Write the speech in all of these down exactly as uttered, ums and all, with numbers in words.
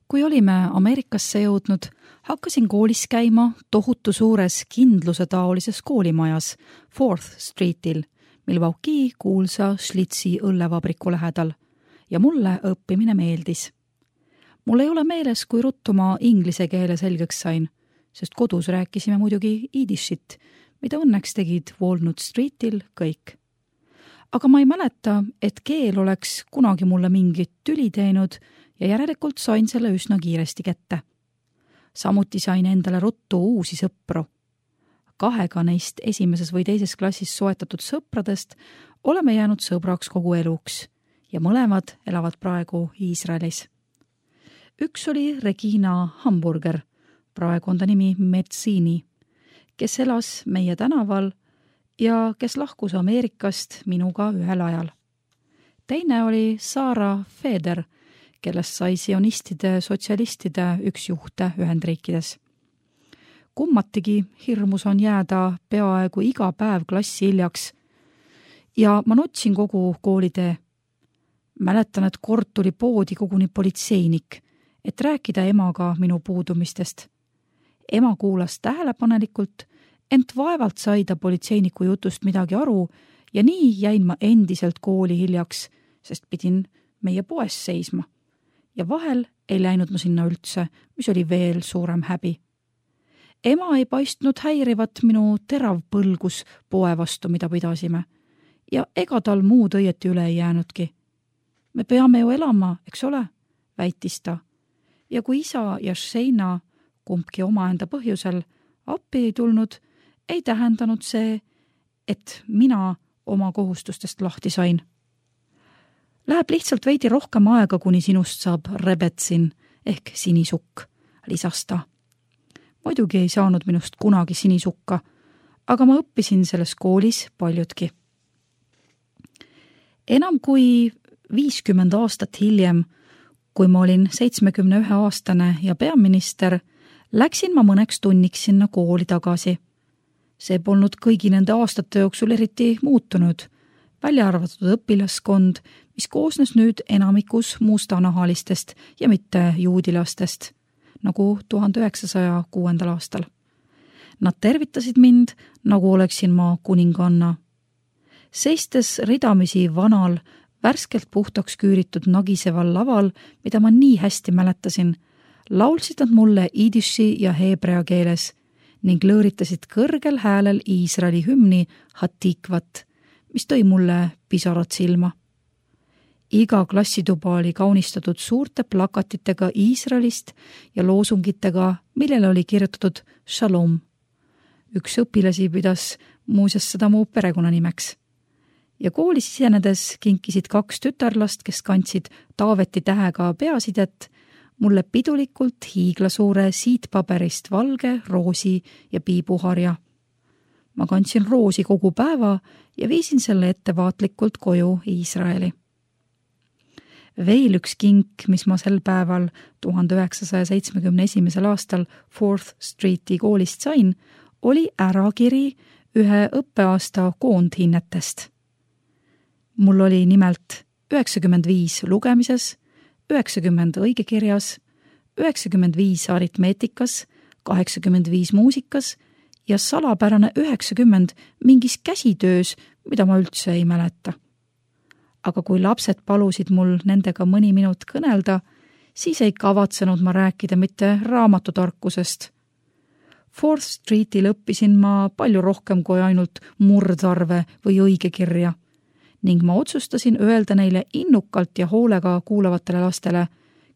Kui olime Ameerikasse jõudnud, hakkasin koolis käima tohutu suures kindluse taolises koolimajas Fourth Streetil, Milwaukee kuulsa Schlitzi õllevabriku lähedal, ja mulle õppimine meeldis. Mul ei ole meeles, kui ruttu ma inglise keele selgeks sain, sest kodus rääkisime muidugi iidishit, mida õnneks tegid Walnut Streetil kõik. Aga ma ei mäleta, et keel oleks kunagi mulle mingit tüli teinud ja järelikult sain selle üsna kiiresti kätte. Samuti sain endale ruttu uusi sõpru. Kahega neist esimeses või teises klassis soetatud sõpradest oleme jäänud sõbraks kogu eluks ja mõlemad elavad praegu Iisraelis. Üks oli Regina Hamburger, praegu on ta nimi Metzini, kes elas meie tänaval ja kes lahkus Ameerikast minuga ühel ajal. Teine oli Sarah Feder, kellest sai sionistide sotsialistide üks juhte Ühendriikides. Kummatigi hirmus on jääda peaaegu iga päev klassi hiljaks ja ma nutsin kogu koolitee. Mäletan, et kord tuli poodi koguni politseinik, et rääkida emaga minu puudumistest. Ema kuulas tähelepanelikult, ent vaevalt sai ta politseiniku jutust midagi aru ja nii jäin ma endiselt kooli hiljaks, sest pidin meie poes seisma. Ja vahel ei läinud ma sinna üldse, mis oli veel suurem häbi. Ema ei paistnud häirivat minu terav põlgus poe vastu, mida pidasime, ja ega tal muud õieti üle ei jäänudki. Me peame ju elama, eks ole, väitis ta. Ja kui isa ja Sheina, kumbki omaenda põhjusel, appi ei tulnud, ei tähendanud see, et mina oma kohustustest lahti sain. Läheb lihtsalt veidi rohkem aega, kuni sinust saab rebetsin ehk sinisukk, lisas ta. Muidugi ei saanud minust kunagi sinisukka, aga ma õppisin selles koolis paljudki. Enam kui viiskümmend aastat hiljem, kui ma olin seitsmekümne ühe aastane ja peaminister, läksin ma mõneks tunniks sinna kooli tagasi. See polnud kõigi nende aastate jooksul eriti muutunud, välja arvatud õpilaskond, mis koosnes nüüd enamikus mustanahalistest ja mitte juudilastest, nagu tuhande üheksasaja kuuendal aastal. Nad tervitasid mind, nagu oleksin ma kuninganna. Seistes ridamisi vanal, värskelt puhtaks küüritud nagiseval laval, mida ma nii hästi mäletasin, laulsid nad mulle iidishi ja heebrea keeles ning lõõritasid kõrgel häälel Iisraeli hümni Hatikvat, mis tõi mulle pisarad silma. Iga klassituba oli kaunistatud suurte plakatitega Iisraelist ja loosungitega, millele oli kirjutatud Shalom. Üks õpilasi pidas muuseas seda mu perekonnanimeks. Ja koolis sisenedes kinkisid kaks tütarlast, kes kandsid Taaveti tähega peasidet, mulle pidulikult hiiglasuure siitpaberist valge, roosi ja piibuharja. Ma kandsin roosi kogu päeva ja viisin selle ettevaatlikult koju Iisraeli. Veel üks kink, mis ma sel päeval tuhande üheksasaja seitsmekümne esimesel aastal Fourth Streeti koolist sain, oli ärakiri ühe õppeaasta koondhinnetest. Mul oli nimelt üheksakümmend viis lugemises, üheksakümmend õigekirjas, üheksakümmend viis aritmeetikas, kaheksakümmend viis muusikas ja salapärane üheksakümmend mingis käsitöös, mida ma üldse ei mäleta. Aga kui lapsed palusid mul nendega mõni minut kõnelda, siis ei kavatsenud ma rääkida mitte raamatutarkusest. Fourth Streetil õppisin ma palju rohkem kui ainult murdarve või õigekirja ning ma otsustasin öelda neile innukalt ja hoolega kuulavatele lastele,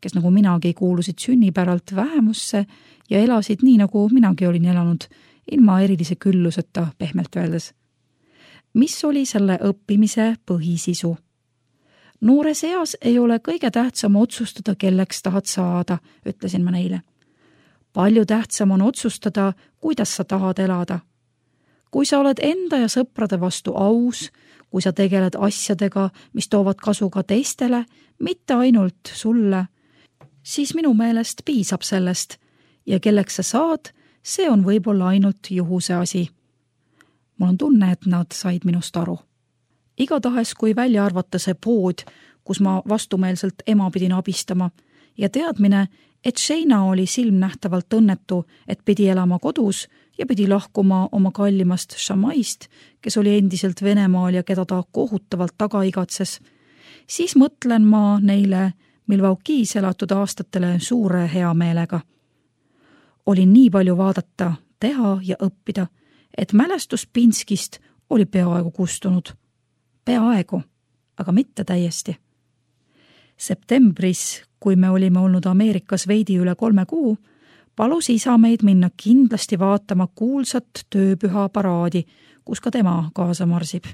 kes nagu minagi kuulusid sünnipäralt vähemusse ja elasid nii, nagu minagi olin elanud, ilma erilise külluseta pehmelt öeldes. Mis oli selle õppimise põhisisu? Noores eas ei ole kõige tähtsam otsustada, kelleks tahad saada, ütlesin ma neile. Palju tähtsam on otsustada, kuidas sa tahad elada. Kui sa oled enda ja sõprade vastu aus, kui sa tegeled asjadega, mis toovad kasu ka teistele, mitte ainult sulle, siis minu meelest piisab sellest ja kelleks sa saad, see on võib-olla ainult juhuse asi. Mul on tunne, et nad said minust aru. Igatahes, kui välja arvata see pood, kus ma vastumeelselt ema pidin abistama ja teadmine, et Shayna oli silmnähtavalt õnnetu, et pidi elama kodus ja pidi lahkuma oma kallimast Shamaist, kes oli endiselt Venemaal ja keda ta kohutavalt taga igatses, siis mõtlen ma neile Milwaukee's elatud aastatele suure heameelega. Oli nii palju vaadata, teha ja õppida, et mälestus Pinskist oli peaaegu kustunud. Peaaegu, aga mitte täiesti. Septembris, kui me olime olnud Ameerikas veidi üle kolme kuu, palus isa meid minna kindlasti vaatama kuulsat tööpüha paraadi, kus ka tema kaasa marsib.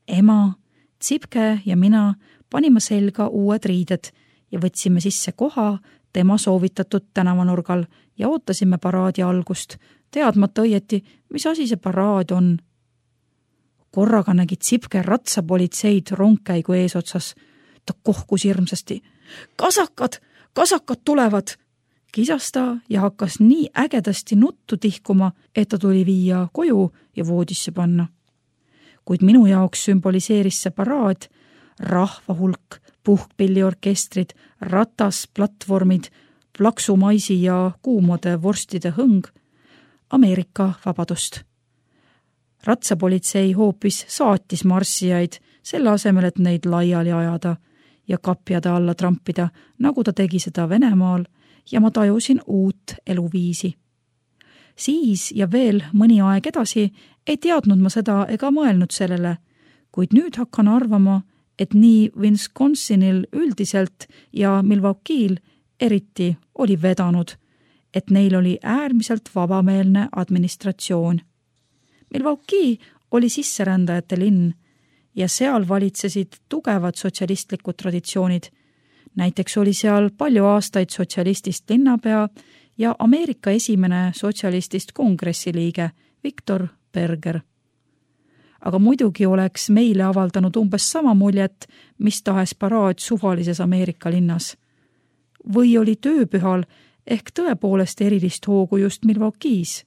Ema, Tsipke ja mina panime selga uued riided ja võtsime sisse koha tema soovitatud tänavanurgal ja ootasime paraadi algust, teadmata õieti, mis asi see paraad on. Korraga nägi Tsipke ratsapolitseid rongkäigu eesotsas. Ta kohkus hirmsasti. Kasakad, kasakad tulevad! Kisas ta ja hakkas nii ägedasti nuttu tihkuma, et ta tuli viia koju ja voodisse panna. Kuid minu jaoks sümboliseeris see paraad, rahvahulk, puhkpilliorkestrid, ratasplatvormid, plaksumaisi ja kuumade vorstide hõng, Ameerika vabadust. Ratsapolitsei hoopis saatis marssijaid, selle asemel, et neid laiali ajada ja kapjade alla trampida, nagu ta tegi seda Venemaal, ja ma tajusin uut eluviisi. Siis ja veel mõni aeg edasi ei teadnud ma seda ega mõelnud sellele, kuid nüüd hakkan arvama, et nii Wisconsinil üldiselt ja Milwaukee'l eriti oli vedanud, et neil oli äärmiselt vabameelne administratsioon. Milwaukee oli sisserändajate linn ja seal valitsesid tugevad sotsialistlikud traditsioonid. Näiteks oli seal palju aastaid sotsialistist linnapea ja Ameerika esimene sotsialistist kongressiliige Victor Berger. Aga muidugi oleks meile avaldanud umbes sama muljet, mis tahes paraad suvalises Ameerika linnas. Või oli tööpühal ehk tõepoolest erilist hoogu just Milwaukee's.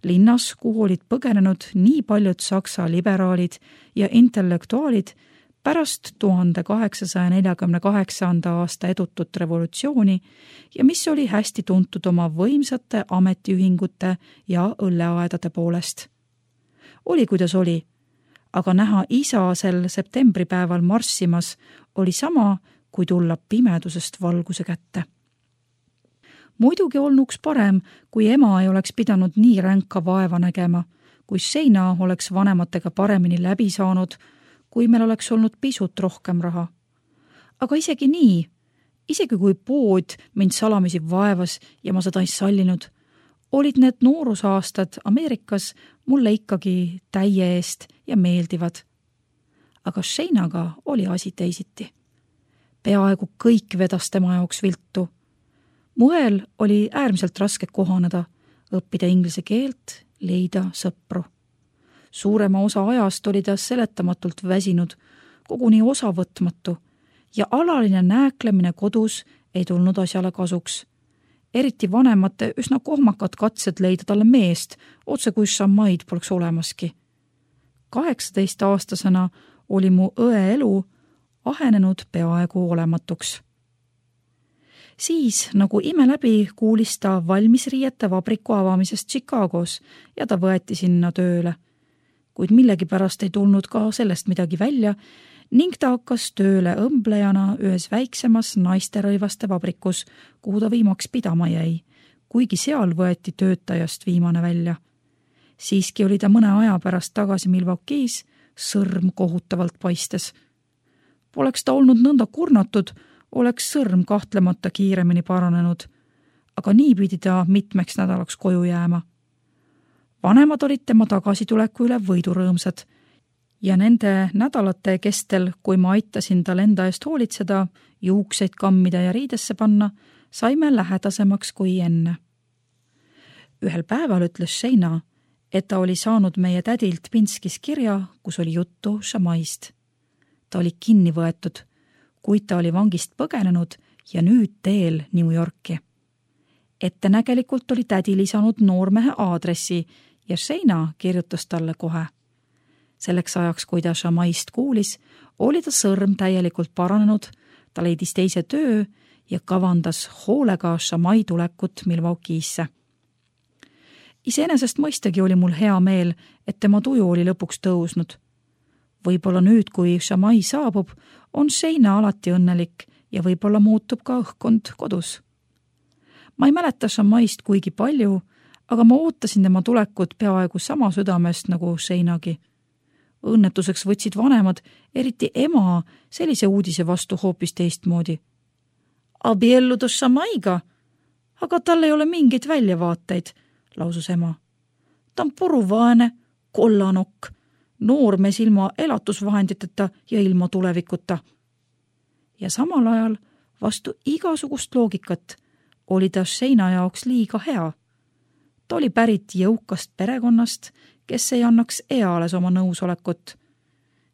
Linnas, kuhu olid põgenenud nii paljud saksa liberaalid ja intellektuaalid pärast tuhande kaheksasaja neljakümne kaheksanda aasta edutut revolutsiooni ja mis oli hästi tuntud oma võimsate ametiühingute ja õlleaedade poolest. Oli kuidas oli, aga näha isa sel septembripäeval marssimas oli sama, kui tulla pimedusest valguse kätte. Muidugi olnuks parem, kui ema ei oleks pidanud nii ränka vaeva nägema, kui Shayna oleks vanematega paremini läbi saanud, kui meil oleks olnud pisut rohkem raha. Aga isegi nii, isegi kui pood mind salamisi vaevas ja ma seda ei sallinud, olid need noorusaastad Ameerikas mulle ikkagi täie eest ja meeldivad. Aga Shaynaga oli asi teisiti. Peaaegu kõik vedas tema jaoks viltu. Muel oli äärmiselt raske kohaneda, õppida inglise keelt, leida sõpru. Suurema osa ajast oli ta seletamatult väsinud, koguni osavõtmatu ja alaline nääklemine kodus ei tulnud asjale kasuks. Eriti vanemate üsna kohmakad katsed leida talle meest, otse kui šamaid poleks olemaski. kaheksateist aastasena oli mu õe elu ahenenud peaaegu olematuks. Siis, nagu ime läbi, kuulis ta valmisriiete vabriku avamisest Chicagos ja ta võeti sinna tööle. Kuid millegipärast ei tulnud ka sellest midagi välja ning ta hakkas tööle õmblejana ühes väiksemas naisterõivaste vabrikus, kuhu ta viimaks pidama jäi, kuigi seal võeti töötajast viimane välja. Siiski oli ta mõne aja pärast tagasi Milwaukee's, sõrm kohutavalt paistes. Poleks ta olnud nõnda kurnatud, oleks sõrm kahtlemata kiiremini paranenud, aga nii pidi ta mitmeks nädalaks koju jääma. Vanemad olid tema tagasituleku üle võidurõõmsad ja nende nädalate kestel, kui ma aitasin tal enda eest hoolitseda, juukseid kammida ja riidesse panna, saime lähedasemaks kui enne. Ühel päeval ütles Shayna, et ta oli saanud meie tädilt Pinskis kirja, kus oli juttu šamaist. Ta oli kinni võetud, kuid ta oli vangist põgenenud ja nüüd teel New Yorki. Ettenägelikult oli tädi lisanud noormehe aadressi ja Shayna kirjutas talle kohe. Selleks ajaks, kui ta šamaist kuulis, oli ta sõrm täielikult paranenud, ta leidis teise töö ja kavandas hoolega Shamai tulekut Milwaukee'sse. Iseenesest mõistagi oli mul hea meel, et tema tuju oli lõpuks tõusnud. Võib-olla nüüd, kui Shamai saabub, on Shayna alati õnnelik ja võib-olla muutub ka õhkkond kodus. Ma ei mäleta Shamaist kuigi palju, aga ma ootasin tema tulekut peaaegu sama südamest nagu Shaynagi. Õnnetuseks võtsid vanemad, eriti ema, sellise uudise vastu hoopis teistmoodi. Abielluda Shamaiga, aga tal ei ole mingeid väljavaateid, lausus ema. Ta on puruvaene, kollanokk, noormees ilma elatusvahenditeta ja ilma tulevikuta. Ja samal ajal vastu igasugust loogikat oli ta Shayna jaoks liiga hea. Ta oli pärit jõukast perekonnast, kes ei annaks eales oma nõusolekut.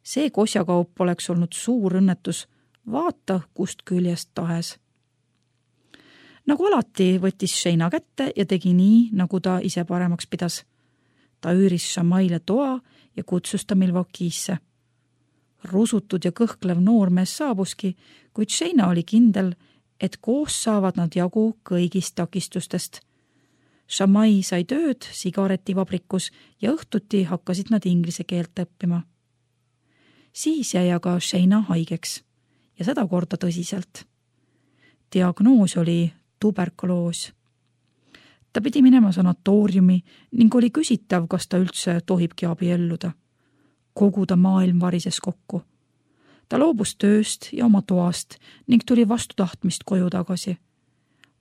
See kosjakaup oleks olnud suur õnnetus, vaata kust küljest tahes. Nagu alati võttis Shayna kätte ja tegi nii, nagu ta ise paremaks pidas. Ta üüris Shamaile toa ja kutsus ta Milwaukee'sse. Rusutud ja kõhklev noormees saabuski, kuid Shayna oli kindel, et koos saavad nad jagu kõigist takistustest. Shamai sai tööd sigaretivabrikus ja õhtuti hakkasid nad inglise keelt õppima. Siis jäi aga Shayna haigeks ja seda korda tõsiselt. Diagnoos oli tuberkuloos. Ta pidi minema sanatooriumi ning oli küsitav, kas ta üldse tohibki abielluda. Kogu ta maailm varises kokku. Ta loobus tööst ja oma toast ning tuli vastu tahtmist koju tagasi.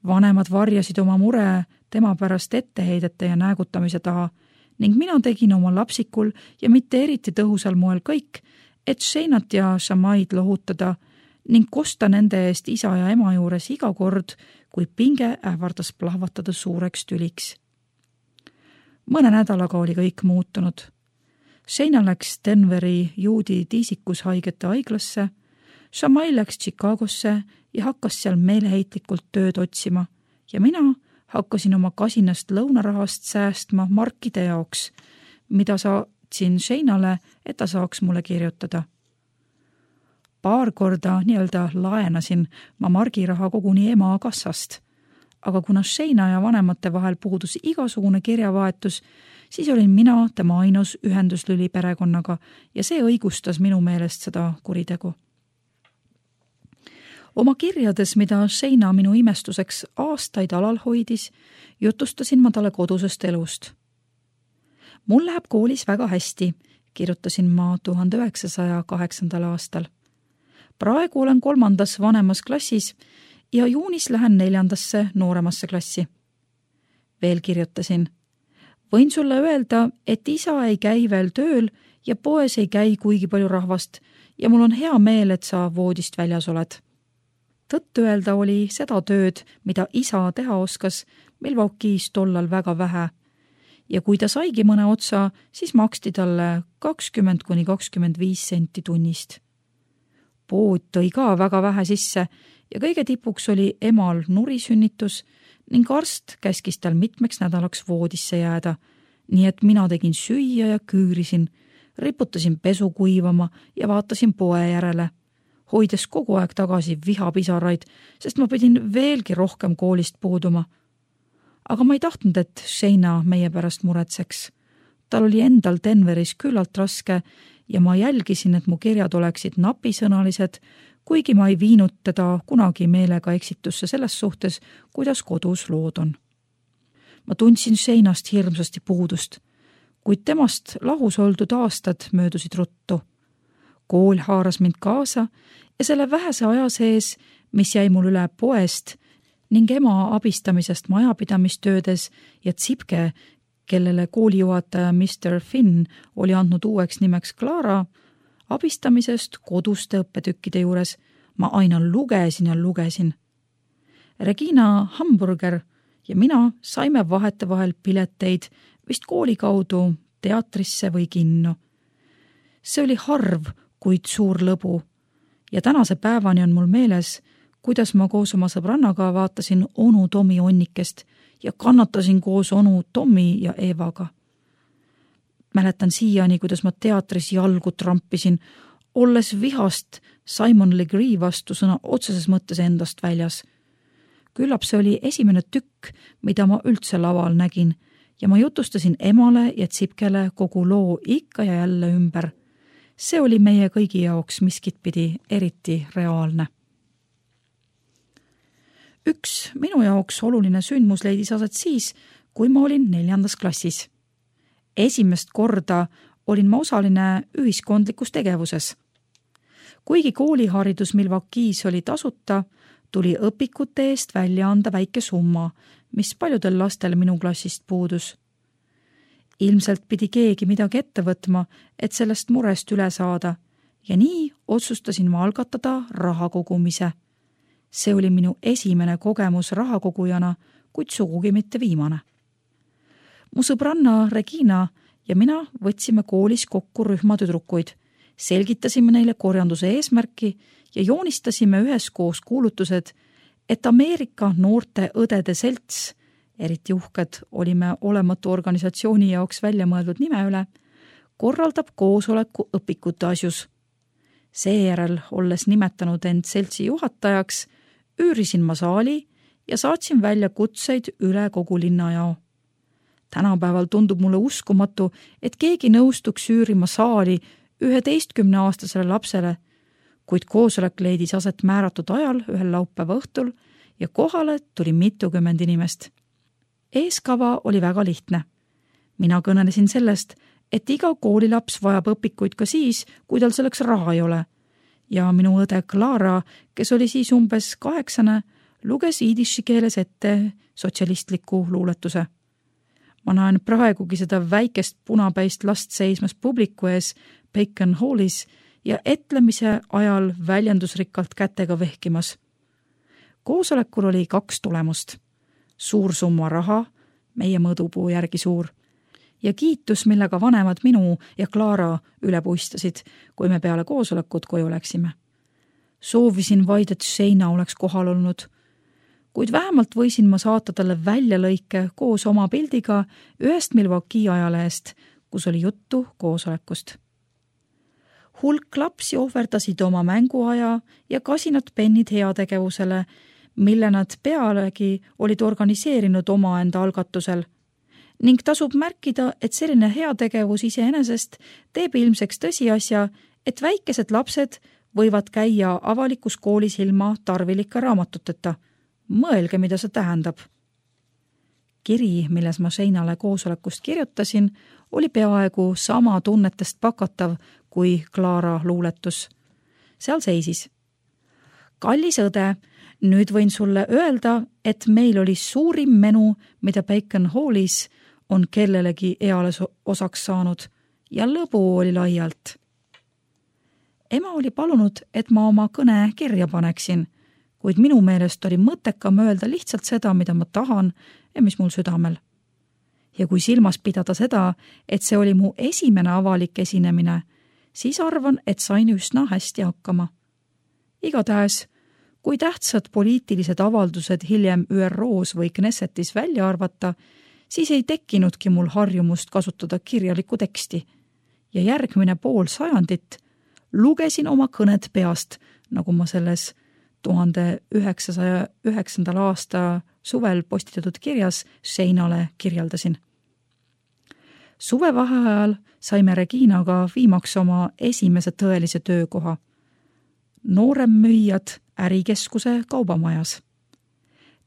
Vanemad varjasid oma mure tema pärast etteheidete ja näägutamise taha ning mina tegin oma lapsikul ja mitte eriti tõhusal moel kõik, et Shaynat ja Shamaid lohutada ning kosta nende eest isa ja ema juures iga kord, kui pinge ähvardas plahvatada suureks tüliks. Mõne nädalaga oli kõik muutunud. Shayna läks Denveri juudi tiisikus haigete haiglasse, Shamai läks Chicagosse ja hakkas seal meeleheitlikult tööd otsima ja mina hakkasin oma kasinast lõunarahast säästma markide jaoks, mida saatsin Shaynale, et ta saaks mulle kirjutada. Paar korda nii-öelda laenasin ma margiraha koguni ema kassast, aga kuna Shayna ja vanemate vahel puudus igasugune kirjavahetus, siis olin mina tema ainus ühenduslüli perekonnaga ja see õigustas minu meelest seda kuritegu. Oma kirjades, mida Shayna minu imestuseks aastaid alal hoidis, jutustasin ma talle kodusest elust. Mul läheb koolis väga hästi, kirjutasin ma tuhande üheksasaja kaheksandal aastal. Praegu olen kolmandas vanemas klassis ja juunis lähen neljandasse nooremasse klassi. Veel kirjutasin. Võin sulle öelda, et isa ei käi veel tööl ja poes ei käi kuigi palju rahvast ja mul on hea meel, et sa voodist väljas oled. Tõtt öelda oli seda tööd, mida isa teha oskas, Milwaukee's tollal väga vähe. Ja kui ta saigi mõne otsa, siis maksti talle kakskümmend kuni kakskümmend viis senti tunnist. Pood tõi ka väga vähe sisse ja kõige tipuks oli emal nurisünnitus ning arst käskis tal mitmeks nädalaks voodisse jääda, nii et mina tegin süüa ja küürisin, riputasin pesu kuivama ja vaatasin poe järele, hoides kogu aeg tagasi vihapisaraid, sest ma pidin veelgi rohkem koolist puuduma. Aga ma ei tahtnud, et Shayna meie pärast muretseks. Tal oli endal Denveris küllalt raske ja ma jälgisin, et mu kirjad oleksid napisõnalised, kuigi ma ei viinud teda kunagi meelega eksitusse selles suhtes, kuidas kodus lood on. Ma tundsin Shaynast hirmsasti puudust, kuid temast lahus oldud aastad möödusid ruttu. Kool haaras mind kaasa ja selle vähese aja sees, mis jäi mul üle poest ning ema abistamisest majapidamistöödes ja Tsipke, kellele koolijuhataja mister Finn oli andnud uueks nimeks Clara, abistamisest koduste õppetükkide juures ma aina lugesin ja lugesin. Regina Hamburger ja mina saime vahetevahel pileteid vist kooli kaudu teatrisse või kinno. See oli harv, kuid suur lõbu ja tänase päevani on mul meeles, kuidas ma koos oma sõbrannaga vaatasin onu Tomi onnikest ja kannatasin koos onu Tomi ja Evaga. Mäletan siiani, kuidas ma teatris jalgu trampisin, olles vihast Simon Legree vastu sõna otseses mõttes endast väljas. Küllap see oli esimene tükk, mida ma üldse laval nägin ja ma jutustasin emale ja Tsipkele kogu loo ikka ja jälle ümber. See oli meie kõigi jaoks miskitpidi eriti reaalne. Üks minu jaoks oluline sündmus leidis aset siis, kui ma olin neljandas klassis. Esimest korda olin ma osaline ühiskondlikus tegevuses. Kuigi kooliharidus Milwaukee's oli tasuta, tuli õpikute eest välja anda väike summa, mis paljudel lastel minu klassist puudus. Ilmselt pidi keegi midagi ette võtma, et sellest murest üle saada ja nii otsustasin ma algatada raha kogumise. See oli minu esimene kogemus rahakogujana, kuid sugugi mitte viimane. Mu sõbranna Regina ja mina võtsime koolis kokku rühma tüdrukuid, selgitasime neile korjanduse eesmärki ja joonistasime üheskoos kuulutused, et Ameerika noorte õdede selts, eriti uhked olime olematu organisatsiooni jaoks välja mõeldud nime üle, korraldab koosoleku õpikute asjus. Seejärel, olles nimetanud end seltsi juhatajaks, üürisin ma saali ja saatsin välja kutseid üle kogu linnajao. Tänapäeval tundub mulle uskumatu, et keegi nõustuks üürima saali üheteistkümne aastasele lapsele, kuid koosolek leidis aset määratud ajal ühel laupäeva õhtul ja kohale tuli mitukümmend inimest. Eeskava oli väga lihtne. Mina kõnelesin sellest, et iga koolilaps vajab õpikuid ka siis, kui tal selleks raha ei ole. Ja minu õde Clara, kes oli siis umbes kaheksane, luges iidiši keeles ette sotsialistliku luuletuse. Ma näen praegugi seda väikest punapäist last seismas publiku ees Bacon Hallis ja etlemise ajal väljendusrikkalt kätega vehkimas. Koosolekul oli kaks tulemust. Suur summa raha, meie mõõdupuu järgi suur, ja kiitus, millega vanemad minu ja Clara üle puistasid, kui me peale koosolekut koju läksime. Soovisin vaid, et Seina oleks kohal olnud, kuid vähemalt võisin ma saata talle väljalõike koos oma pildiga ühest Milwaukee ajalehest, kus oli juttu koosolekust. Hulk lapsi ohverdasid oma mänguaja ja kasinad pennid heategevusele, mille nad pealegi olid organiseerinud omaenda algatusel. Ning tasub märkida, et selline heategevus iseenesest teeb ilmseks tõsiasja, et väikesed lapsed võivad käia avalikus koolis ilma tarvilike raamatuteta. Mõelge, mida see tähendab. Kiri, milles ma Seinale koosolekust kirjutasin, oli peaaegu sama tunnetest pakatav kui Clara luuletus. Seal seisis. Kallis õde, nüüd võin sulle öelda, et meil oli suurim menu, mida Bacon Hallis on kellelegi eales osaks saanud ja lõbu oli laialt. Ema oli palunud, et ma oma kõne kirja paneksin, kuid minu meelest oli mõttekam öelda lihtsalt seda, mida ma tahan ja mis mul südamel. Ja kui silmas pidada seda, et see oli mu esimene avalik esinemine, siis arvan, et sain üsna hästi hakkama. Igatahes, kui tähtsad poliitilised avaldused hiljem Ü R O-s või Knessetis välja arvata, siis ei tekkinudki mul harjumust kasutada kirjalikku teksti. Ja järgmine pool sajandit lugesin oma kõned peast, nagu ma selles tuhande üheksasaja üheksandal aasta suvel postitatud kirjas Seinale kirjeldasin. Suvevaheajal saime Reginaga viimaks oma esimese tõelise töökoha. Nooremmüüjad ärikeskuse kaubamajas.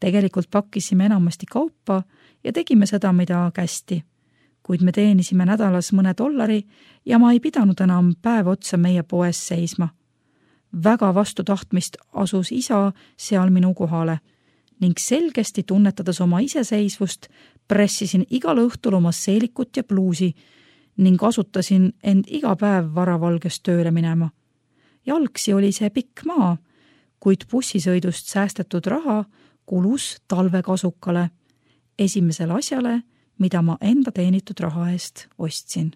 Tegelikult pakkisime enamasti kaupa ja tegime seda, mida kästi, kuid me teenisime nädalas mõne dollari ja ma ei pidanud enam päev otsa meie poes seisma. Väga vastu tahtmist asus isa seal minu kohale ning selgesti tunnetades oma iseseisvust pressisin igal õhtul oma seelikut ja pluusi ning asutasin end iga päev varavalges tööle minema. Jalgsi oli see pikk maa, kuid bussisõidust säästetud raha kulus talvekasukale, esimesele asjale, mida ma enda teenitud raha eest ostsin.